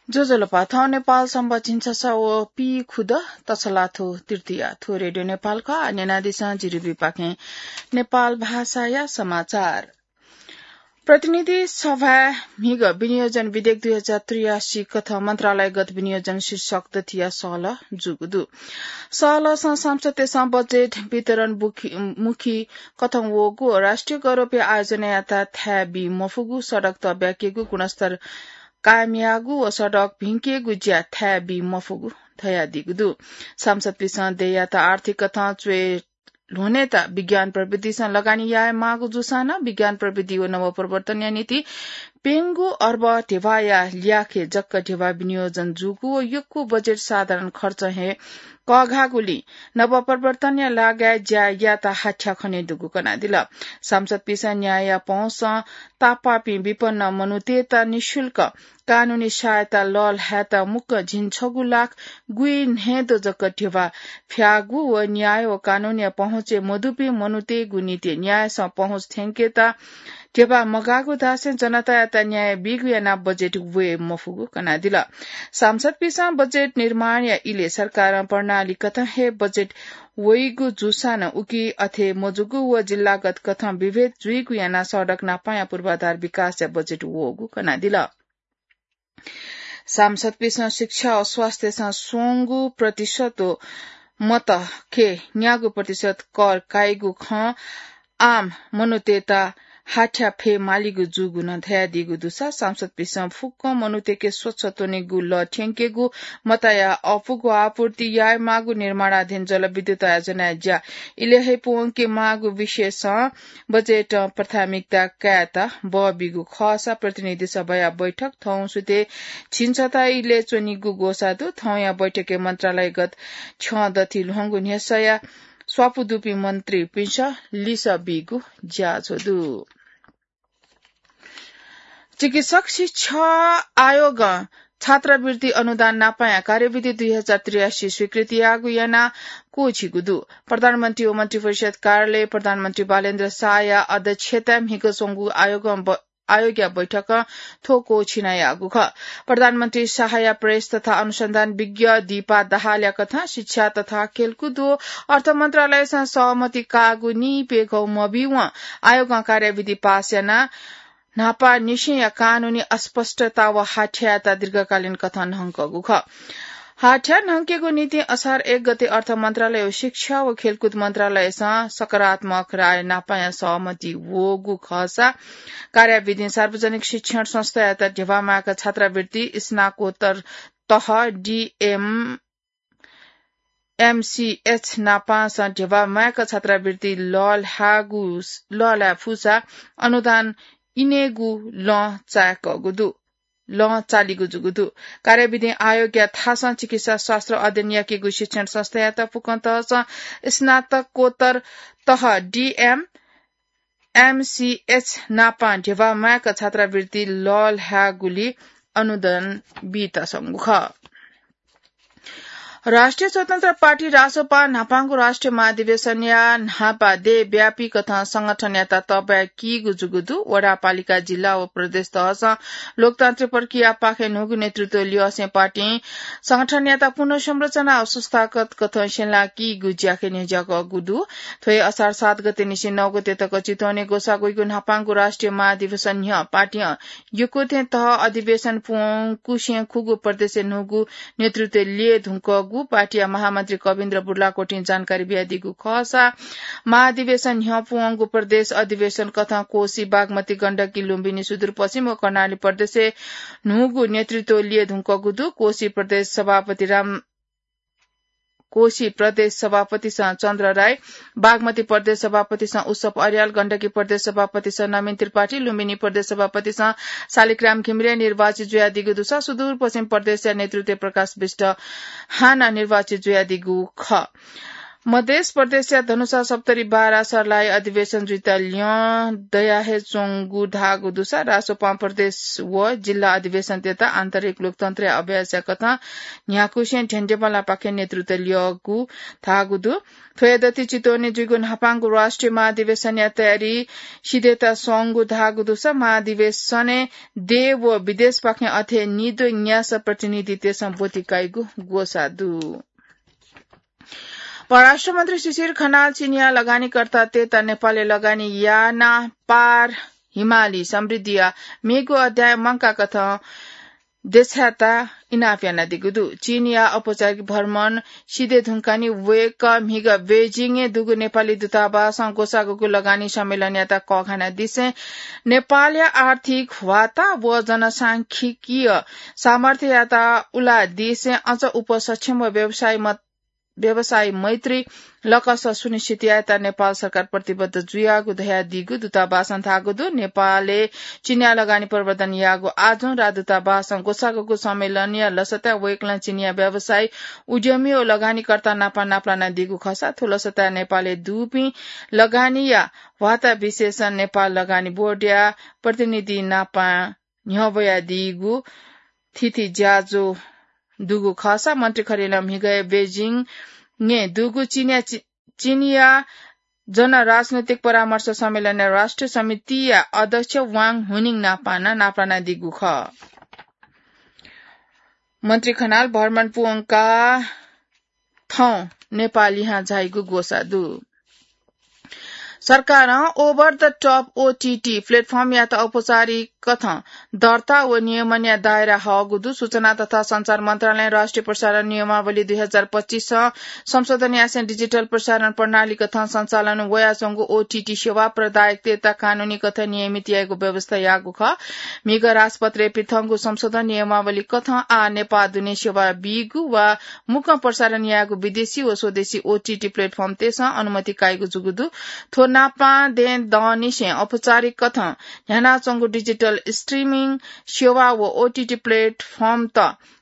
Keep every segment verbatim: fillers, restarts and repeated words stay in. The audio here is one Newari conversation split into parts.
ज्वजलपा, थौं नेपाल संवत झिंछसः व पीखुदँ तछलाथ्व तृतीया। थ्व रेडियो नेपाल खः। न्यनादिसँ जिरिबीपाखें नेपाल भाषाया समाचार। प्रतिनिधि सभाय् म्हिगः विनियोजन विधेयक दुई हजार त्रियासी कथं मन्त्रालयगत विनियोजन शीर्षक दथिया सहलह जूगु दु। सहलहसं सांसदतय्सं बजेट वितरण बुखि-, मुखी कथं वःगु व राष्ट्रिय गौरवया आयोजनायात थाय् बी मफुगु, सडक तःब्याकेगु, गुणस्तर कायम याःगु व सडक भिंकेगु ज्या थाय् बी मफुगु धयादीगु दु। सांसदपिसं देय्‌यात आर्थिक कथं च्वय् ल्ह्वनेत विज्ञान प्रविधिसं लगानी याये माःगु जूसां नं विज्ञान प्रविधि व नवप्रवर्तनया निंतिं प्यंगू अर्ब ध्यबाया ल्याखय् जक ध्यबा विनियोजन जूगु व यक्व बजेट साधारण खर्च हे कःघाःगुलिं नवप्रवर्तनया लागाय् ज्या यायेत हाथ्या खने दुगु कनादिल। सांसदपिसं न्यायया पहुँसं तापाःपिं विपन्न मनूतय्‌त निशुल्क कानूनी सहायता लःल्हायेत मुक्कं झिंछगू लाख गुइन्हय्‌द्वः जक ध्यबा फ्याःगु व न्याय व कानूनया पहुँचय् मदुपिं मनूतय्‌गु निंतिं न्यायसं पहुँच थ्यंकेत ध्यबा मगाःगु धासें जनतायात न्याय बीगु यानाः बजेट वये मफुगु कनादिल। सांसदपिसं बजेट निर्माणया इलय् सरकारं प्रणाली कथं हे बजेट वइगु जूसां नं उकी अथे मजूगु व जिल्लागत कथं विभेद जुइगु यानाः सडक नापांया पूर्वाधार विकासया बजेट वःगु कनादिल। सांसदपिसं शिक्षा व स्वास्थ्यसं स्वंगू प्रतिशत व मत खय् न्यागू प्रतिशत कर काइगु खँ आम मनूतय्‌त हाथ्या फयेमालीगु जूगु नं धयादीगु दुसा सांसदपिसं फुक्कं मनूतय्‌के स्वच्छ त्वनेगु लः थ्यंकेगु, मतया अःपुगु आपूर्ति यायेमाःगु, निर्माणाधीन जलविद्युत आयोजनाया ज्या इलय् हे पूवंकेमाःगु विषयसं बजेटं प्राथमिकता कायेत बः बीगु खःसा प्रतिनिधि सभाया बैठक थौं सुथय् झिंछता इलय् च्वनीगु ग्वसाः दु। थौंया बैठकय् मन्त्रालयगत छ्यं दथि ल्ह्वंगु न्ह्यसःया स्वापू दुपिं मन्त्रीपिन्सं लिसः बीगु ज्याझ्वः दु। चिकित्सक शिक्षा आयोगं छात्रवृत्ति अनुदान नापांया कार्यविधि दुई हजार त्रियासी स्वीकृति याःगु यानाः क्वःछिगु दु। प्रधानमन्त्री व मन्त्रिपरिषद कार्यालय प्रधानमन्त्री बालेन्द्र शाहया अध्यक्षताय् म्हिगः स्वंगु आयोगं ब-, आयोगया बैठकं थ्व क्वःछिना याःगु खः। प्रधानमन्त्री शाहया प्रेस तथा अनुसन्धान विज्ञ दीपा दाहालया कथं शिक्षा तथा खेलकुद व अर्थ मन्त्रालयसं सहमति काःगु निइप्यघौ मभिवं आयोगं कार्यविधि पास यानाः न्हापांनिसेंया कानूनी अस्पष्टता व हाथ्यायात दीर्घकालीन कथं न्हंकःगु खः। हाथ्या न्हंकेगु निंतिं असार एक गते अर्थ मन्त्रालय व शिक्षा व खेलकुद मन्त्रालयसं सकारात्मक राय नापांया सहमति वःगु खःसा कार्याविधिं सार्वजनिक शिक्षण संस्थायात ध्यबा माय्क छात्रवृत्ति, स्नाकोत्तर तह, डिएम, एमसीएच नापांसं ध्यबा माय्क छात्रवृत्ति लःल्हाःगु, लःल्हाये फुसा अनुदान इनेगु लं चाय्कःगु दु, लं चालीगु जूगु दु। कार्यविधिं आयोगया थासं चिकित्सा शास्त्र अध्ययन याकेगु शिक्षण संस्थायात फुक्कं तहसं स्नातकोत्तर तह डिएम, एमसीएच नापां ध्यबा माय्क छात्रवृत्ति लःल्हाःगुलिइ अनुदान बीत संगु खः। राष्ट्रिय स्वतन्त्र पार्टी रासोपां न्हापांगु राष्ट्रिय महाधिवेशनया न्हापा देय्‌व्यापी कथं संगठनयात तःब्या कीगु जूगु दु। वडापालिका, जिल्ला व प्रदेश तहसं लोकतान्त्रिक प्रक्रियापाखें न्हूगु नेतृत्व ल्यसें पार्टीं संगठनयात पुनर्संरचना व संस्थागत कथं स्यंला कीगु ज्याखँय् न्ह्यज्याकःगु दु। थ्व हे असार सात गते निसें नौ गते तक चितवनय् ग्वसाः ग्वइगु न्हापांगु राष्ट्रिय महाधिवेशन न्ह्यः पार्टीं यक्व थें तह अधिवेशन पूवंकुसें खुगू प्रदेशय् न्हूगु नेतृत्व ल्यये धुंकूगु पार्टीया महामन्त्री कविन्द्र बुर्लाकोटीं जानकारी बियादीगु खःसा, महाधिवेशन न्ह्यः पूवंगु प्रदेश अधिवेशन कथं कोशी, बागमती, गण्डकी, लुम्बिनी, सुदूरपश्चिम व कर्णाली प्रदेशय् न्हूगु नेतृत्व ल्यये धुंकूगु दु। कोशी प्रदेश सभापति राम कोशी प्रदेश सभापतिसं चन्द्र राई, बागमती प्रदेश सभापतिसं उसप अर्याल, गण्डकी प्रदेश सभापतिसं नवीन त्रिपाठी, लुम्बिनी प्रदेश सभापतिसं शालिग्राम घिमिरे निर्वाचित जुयादीगु दुसा सुदूरपश्चिम प्रदेशया नेतृत्वय् प्रकाश विष्ट हानं निर्वाचित जुयादीगु खः। मधेस प्रदेशया धनुषा सप्तरी बारा सर्लाही अधिवेशन जुइत ल्यं दया हे च्वंगु धाःगु दुसा रासोपां प्रदेश व जिल्ला अधिवेशनतय्त आन्तरिक लोकतन्त्रया अभ्यासया कथं न्ह्याकुसें ढ्यन्डेबलापाखें नेतृत्व ल्यःगु धाःगु दु। थ्वया दति चितवने जुइगु न्हापांगु राष्ट्रिय महाधिवेशनया तयारी सिधय्त स्वंगु धाःगु दुसा महाधिवेशनय् देश व विदेशपाखें अथे निद्वः न्यासः प्रतिनिधितय्सं ब्वति काइगु ग्वसाः दु। परराष्ट्र मन्त्री शिशिर खनाल चीनया लगानीकर्तातय्त नेपालय् लगानी याना पार हिमाली समृद्धिया मेगु अध्याय मंकाकथं देछायेत इनाप यानादीगु दु। चीनया औपचारिक भ्रमण सिधये धुंकाः नि वय्कः म्हिगः बेजिङय् दुगु नेपाली दूतावासं ग्वसाःगु लगानी सम्मेलनयात कःघानादिसें नेपालया आर्थिक ह्वाता व जनसांख्यिकीय सामर्थ्ययात उलादिसें अझ उपसक्षम व व्यवसायी मत व्यवसायी मैत्री लकस सुनिश्चित यायेत नेपाल सरकार प्रतिबद्ध जुयागु धयादीगु दूतावासं धाःगु दु। नेपालय् चीनया लगानी प्रवर्धन याःगु आजुं राजदूतावासं ग्वसाःगु सम्मेलनया लसताय् वय्कलं चीनया व्यवसायी, उद्यमी व लगानीकर्ता नाप नापलानादीगु खःसा थ्व लसताय् नेपालय् दुपिं लगानीया ह्वाता विशेषं नेपाल लगानी बोर्डया प्रतिनिधि नाप न्ह्यब्वयादीगु थीथी ज्याझ्वः दुगु खःसा मन्त्री खरेलं म्हिगः बेजिङय् दुगु चीनया चि-, चीनया जनराजनैतिक परामर्श सम्मेलनय् राष्ट्रिय समितिया अध्यक्ष वाङ हुनिङ नापं नापलानादीगु खः। मन्त्री खनाल भ्रमण पूवंकाः थौं नेपाल लिहां झाइगु ग्वसाः दु। सरकारं over the top OTT platformयात औपचारिक कथं दर्ता व नियमनया दायरा हःगु दु। सूचना तथा सञ्चार मन्त्रालयं राष्ट्रिय प्रसारण नियमावली दुई हजार पच्चिसं संशोधन यासें डिजिटल प्रसारण प्रणाली कथं सञ्चालन वयाच्वंगु OTT सेवा प्रदायकतय्त कानूनी कथं नियमित यायेगु व्यवस्था याःगु खः। म्हिगः राजपत्रय् पिथंगु संशोधन नियमावली कथं आः नेपाः दुने सेवा बीगु वा मुक्कं प्रसारण याःगु विदेशी व स्वदेशी OTT platformतय्सं अनुमति काइगु जूगु दु। थ्व नापं दँय्दंनिसें औपचारिक कथं न्ह्यानाच्वंगु डिजिटल streaming सेवा व OTT platformत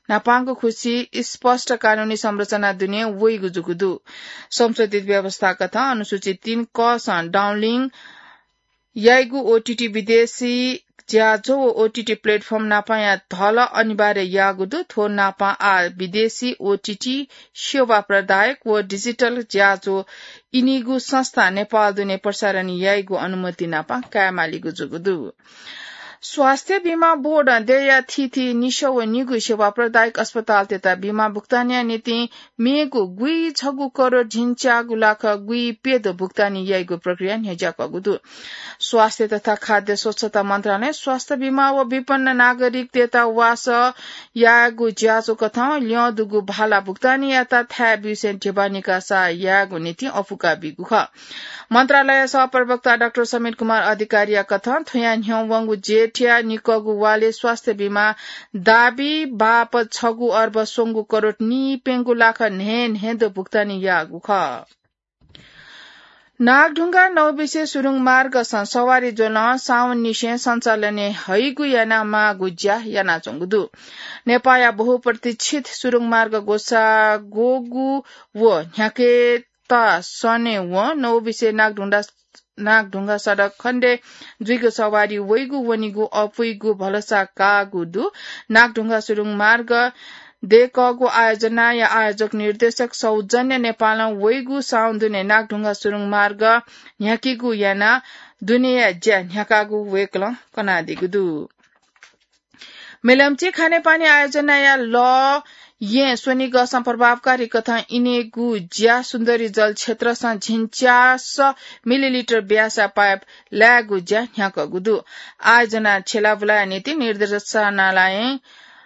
न्हापांगु खुसि स्पष्ट कानूनी संरचना दुने वइगु जूगु दु। संशोधित व्यवस्था कथं अनुसूची तीन कसं downlink याइगु OTT विदेशी ज्याझ्वः व OTT platform नापंया धल अनिवार्य याःगु दु। थ्व नापं आः विदेशी OTT सेवा प्रदायक व डिजिटल ज्याझ्वः इनिगु संस्था नेपाः दुने प्रसारण याइगु अनुमति नापं कायेमालीगु जूगु दु। स्वास्थ्य बीमा बोर्डं देय्या थीथी निसः व निगू सेवा प्रदायक अस्पतालतय्त बीमा भुक्तानया निंतिं मेगु गुइछगू करोड झिंच्यागू लाख गुइप्यदँ भुक्तानी याइगु प्रक्रिया न्ह्यज्याकःगु दु। स्वास्थ्य तथा खाद्य स्वच्छता मन्त्रालयं स्वास्थ्य बीमा व विपन्न नागरिकतय्त वासः यायेगु ज्याझ्वः कथं ल्यं दुगु भाला भुक्तानी यायेत थाय् ब्यूसें ध्यबा निकासा यायेगु निंतिं अःपुका बीगु खः। मन्त्रालय सहप्रवक्ता डाक्टर समीर कुमार अधिकारीया कथं थ्वयां न्ह्यवंगु जेठया निकःगु वालय् स्वास्थ्य बीमा दाबी बापत छगू अर्ब स्वंगू करोड नीप्यंगू लाख न्हय्न्हय्दँ भुक्तानी याःगु खः। नागढुङ्गा नौबिसे सुरुङ मार्गसं सवारी ज्वलं साउननिसें सञ्चालनय् हइगु यानाः माःगु ज्या यानाच्वंगु दु। नेपाःया बहुप्रतीक्षित सुरुङ मार्ग ग्वसाः ग्वःगु व न्ह्याकेत सनेवं नौबिसे नागढुङ्गा, नागढुङ्गा सडक खण्डय् जुइगु सवारी वइगु वनीगु अपुइगु भलसा काःगु दु। नागढुङ्गा सुरुङ मार्ग दय्कःगु आयोजनाया आयोजक निर्देशक सौजन्य नेपालं वइगु साउन दुने नागढुङ्गा सुरुङ मार्ग न्ह्याकीगु यानाः दुनेया ज्या न्ह्याकागु वय्कलं कनादीगु दु। मेलम्ची खानेपानी आयोजनाया लः येँ स्वनिगःसं प्रभावकारी कथं इनेगु ज्या सुन्दरी जल क्षेत्रसं झिंच्यास मिलिलिटर ब्यासा पाइप लायेगु ज्या न्ह्याकःगु दु। आयोजना छ्यलाबुलाया निंतिं निर्देशनालयं,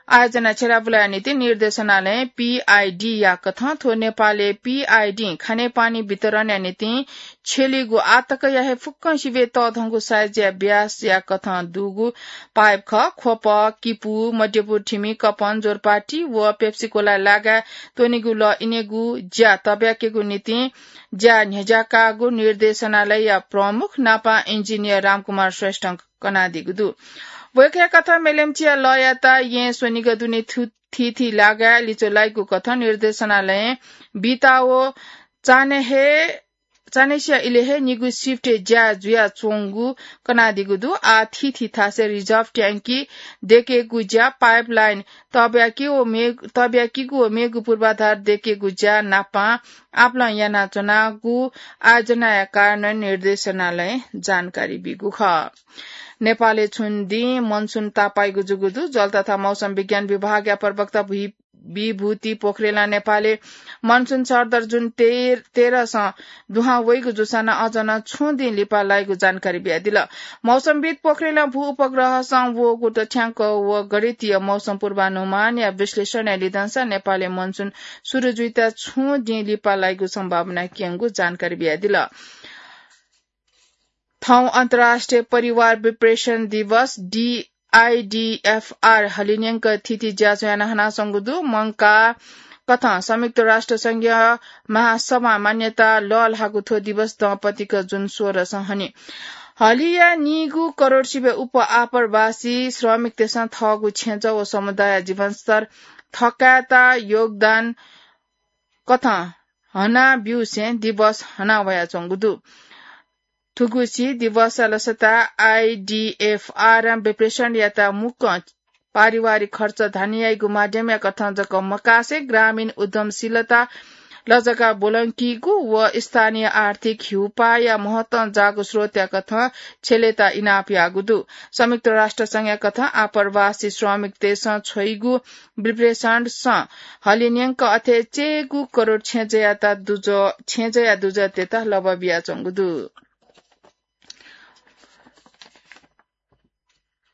आयोजना छ्यलाबुलाया निंतिं निर्देशनालयं पीआईडीया कथं थ्व नेपालय् पीआईडीं खानेपानी वितरणया निंतिं छ्यलीगु आःतकया हे फुक्कं सिबें तःधंगु साइजया ब्यासया कथं दुगु पाइप खः। ख्वप, किपू, मध्यपुर थिमि, कपन, जोरपाटी व पेप्सी कोला लागाय् त्वनीगु लः इनेगु ज्या तब्याकेगु निंतिं ज्या न्ह्यज्याकागु निर्देशनालयया प्रमुख नापं इन्जिनियर रामकुमार श्रेष्ठं कनादीगु दु। वय्कःया कथं मेलम्चीया लःयात येँ स्वनिगः दुने थु-, थीथी लागाय् लिच्वः लाइगु कथं निर्देशनालयं बिता व चान्हय् हे, चान्हय्‌सिया इलय् हे निगू सिफ्टय् ज्या जुयाच्वंगु कनादीगु दु। आः थीथी थासय् रिजर्भ ट्याङ्की दयेकेगु ज्या, पाइपलाइन तःब्याकी व मे-, तःब्याकीगु व मेगु पूर्वाधार दयेकेगु ज्या नापं आपालं यानाच्वनागु आयोजनाया कारणं निर्देशनालयं जानकारी बीगु खः। नेपालय् छुं दिं मनसुन तापाइगु जूगु दु। जल तथा मौसम विज्ञान विभागया प्रवक्ता भि-, विभूति पोखरेलं नेपालय् मनसुन सरदर जुन तेह्र, तेह्रसं दुहां वइगु जूसां नं अझ नं छुं दिं लिपा लाइगु जानकारी बियादिल। मौसमविद पोखरेलं भू उपग्रहसं वःगु तथ्याङ्क व गणितीय मौसम पूर्वानुमानया विश्लेषणया लिधंसा नेपालय् मनसुन सुरु जुइत छुं दिं लिपा लाइगु सम्भावना क्यंगु जानकारी बियादिल। थौं अन्तर्राष्ट्रिय परिवार विप्रेषण दिवस, डि-, आइडिएफआर हलिंन्यंक थीथी ज्याझ्वः याना हनाच्वंगु दु। मंकाः कथं संयुक्त राष्ट्र संघीय महासभां मान्यता लःल्हाःगु थ्व दिवस दँपतिक जुन सोह्रसं हनी। हलिया नीगू करोड सिबें उप्वः आप्रवासी श्रमिकतय्सं थःगु छेँजः व समुदाय जीवनस्तर थकायेत योगदान कथं हना ब्यूसें दिवस हना वयाच्वंगु दु। थुगुसी दिवसया लसताय् आइडिएफआरं विप्रेषणयात मुक्कं पारिवारिक खर्च धानी याइगु माध्यमया कथं जक मकासे ग्रामीण उद्यमशीलता लजगाः ब्वलंकीगु व स्थानीय आर्थिक हिउपाःया महत्तं जाःगु स्रोतया कथं छ्यलेत इनाप याःगु दु। संयुक्त राष्ट्र संघया कथं आप्रवासी श्रमिकतय्सं छ्वइगु विप्रेषणसं हलिंन्यंक अथे चय्गू करोड छेँजःयात दुजः, छेँजःया दुजःतय्त लबः बियाच्वंगु दु।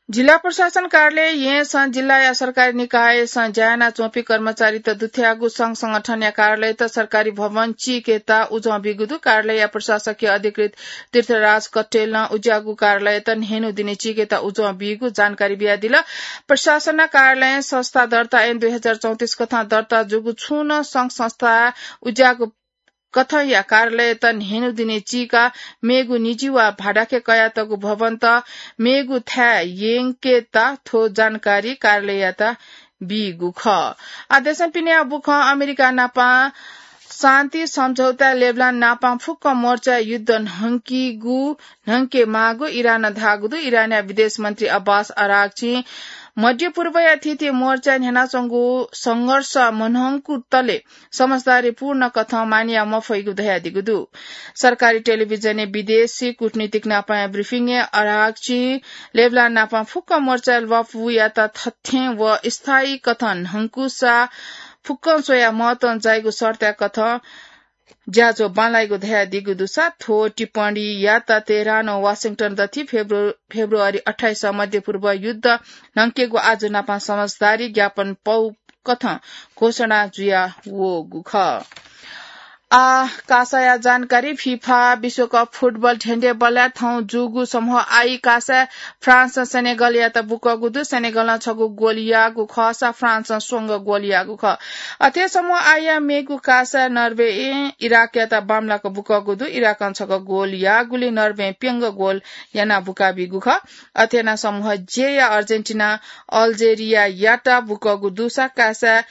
जिल्ला प्रशासन कार्यालय येँसं जिल्लाया सरकारी निकायसं ज्या यानाच्वंपिं कर्मचारीत दुथ्याःगु संघ संगठनया कार्यालयत सरकारी भवन चीकेत उजं बीगु दु। कार्यालयया प्रशासकीय अधिकृत तीर्थराज कटेलं उज्याःगु कार्यालयत न्हय्न्हु दिने चीकेत उजं बीगु जानकारी बियादिल। प्रशासन कार्यालयं संस्था दर्ता ऐन दुई हजार चौतिस कथं दर्ता जूगु छुं नं संघ संस्था उज्याःगु कथंया कार्यालयत न्हय्न्हु दिने चीकाः मेगु निजी वा भाडाखे कयातःगु भवनत मेगु थाय् यंकेत थ्व जानकारी कार्यालययात बीगु खः। आः देशं पिने बुखं अमेरिका नापं शान्ति सम्झौताय् लेबनान नापं फुक्क मोर्चाय् युद्ध न्हंकीगु, न्हंके माःगु इरानं धाःगु दु। इरानया विदेश मन्त्री अब्बास अराग्चीं मध्य पूर्वया थीथी मोर्चाय् न्ह्यानाच्वंगु संघर्ष मन्हंकुतले समझदारीपूर्ण कथं मानया मफइगु धयादीगु दु। सरकारी टेलिभिजनय् विदेशी कूटनीतिक नापंया ब्रिफिङय् अराग्चीं लेबनान नापं फुक्क मोर्चाय् ल्वापुयात थथें व स्थायी कथं न्हंकुसा फुक्कं स्वयाः महत्वं जाइगु शर्तया कथं ज्याझ्वः बांलाइगु धयादीगु दुसा थ्व टिप्पणीयात तेहरान व वाशिंटन दथि फेब्रु-, फेब्रुअरी अट्ठाइस मध्य पूर्व युद्ध न्हंकेगु आजु नापं समझदारी ज्ञापन पौ कथं घोषणा जुया वःगु खः। आः कासाया जानकारी। फिफा विश्वकप फुटबल धेंधेंबलय् थौं जूगु समूह आई कासाय् फ्रान्सं सेनेगलयात बुकःगु दु। सेनेगलं छगू गोल याःगु खःसा फ्रान्सं स्वंगः गोल याःगु खः। अथे समूह आइया मेगु कासाय् नर्वें इराकयात बांमलाक बुकःगु दु। इराकं छगः गोल याःगुलिं नर्वें प्यंगः गोल यानाः बुकाबीगु खः। अथे यानाः समूह जेया अर्जेन्टिनां अल्जेरियायात बुकःगु दुसा कासाय्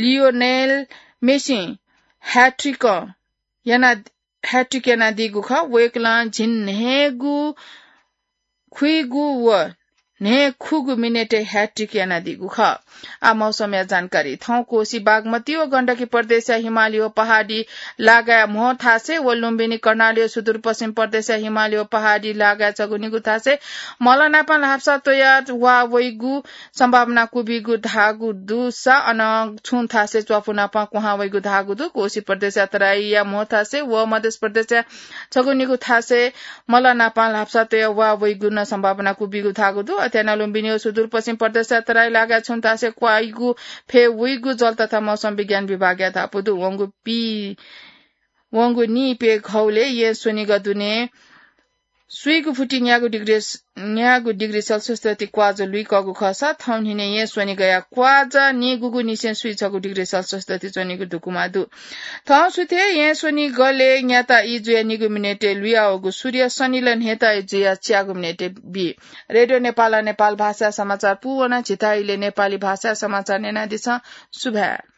लियोनेल मेसिं ह्याट्रिक याना, ह्याट्रिक यानादीगु खः। वय्कलं झिंन्हय्गू खुइगू व न्हय्खुगू मिनेटय् ह्याट्रिक यानादीगु खः। आः मौसमया जानकारी। थौं कोसी, बागमती व गण्डकी प्रदेशया हिमाली व पहाडी लागाय् म्हो थासय् व लुम्बिनी, कर्णाली व सुदूरपश्चिम प्रदेशया हिमाली व पहाडी लागाय् छगू निगू थासय् मलनापं ल्हापसा त्वयाः वा वइगु सम्भावना क्वबीगु धाःगु दुसा अन छुं थासय् च्वापुनापं क्वहां वइगु धाःगु दु। कोशी प्रदेशया तराईया म्हो थासय् व मध्य प्रदेशया छगू निगू थासय् मलनापं ल्हापसा त्वयाः वा वइगु नं सम्भावना क्वबीगु धाःगु दु। अथे यानाः लुम्बिनी व सुदूरपश्चिम प्रदेशया तराई लागाय् छुं थासय् क्वाइगु फय् वइगु जल तथा मौसम विज्ञान विभागया धापू दु। वंगु पि-, वंगु निइप्यघौलय् येँ स्वनिगः दुने स्वीगु फुति न्यागू डिग्री, न्यागू डिग्री सेल्सियस तति क्वाःजा लुइकःगु खःसा थौं न्हिनय् येँ स्वनिगःया क्वाःजा निगूगुनिसें स्वीछगू डिग्री सेल्सियस तति च्वनीगु धुकुमा दु। थौं सुथय् येँ स्वनिगलय् न्याता ई जुयाः निगू मिनेटय् लुयावःगु सूर्य सनिलय् न्हय्ता ई जुयाः च्यागू मिनेटय् बी। रेडियो नेपालं नेपाल भाषाया समाचार पूवन। झीथाय् इलय् नेपाली भाषाया समाचार न्यनादिसँ। सुभाय्।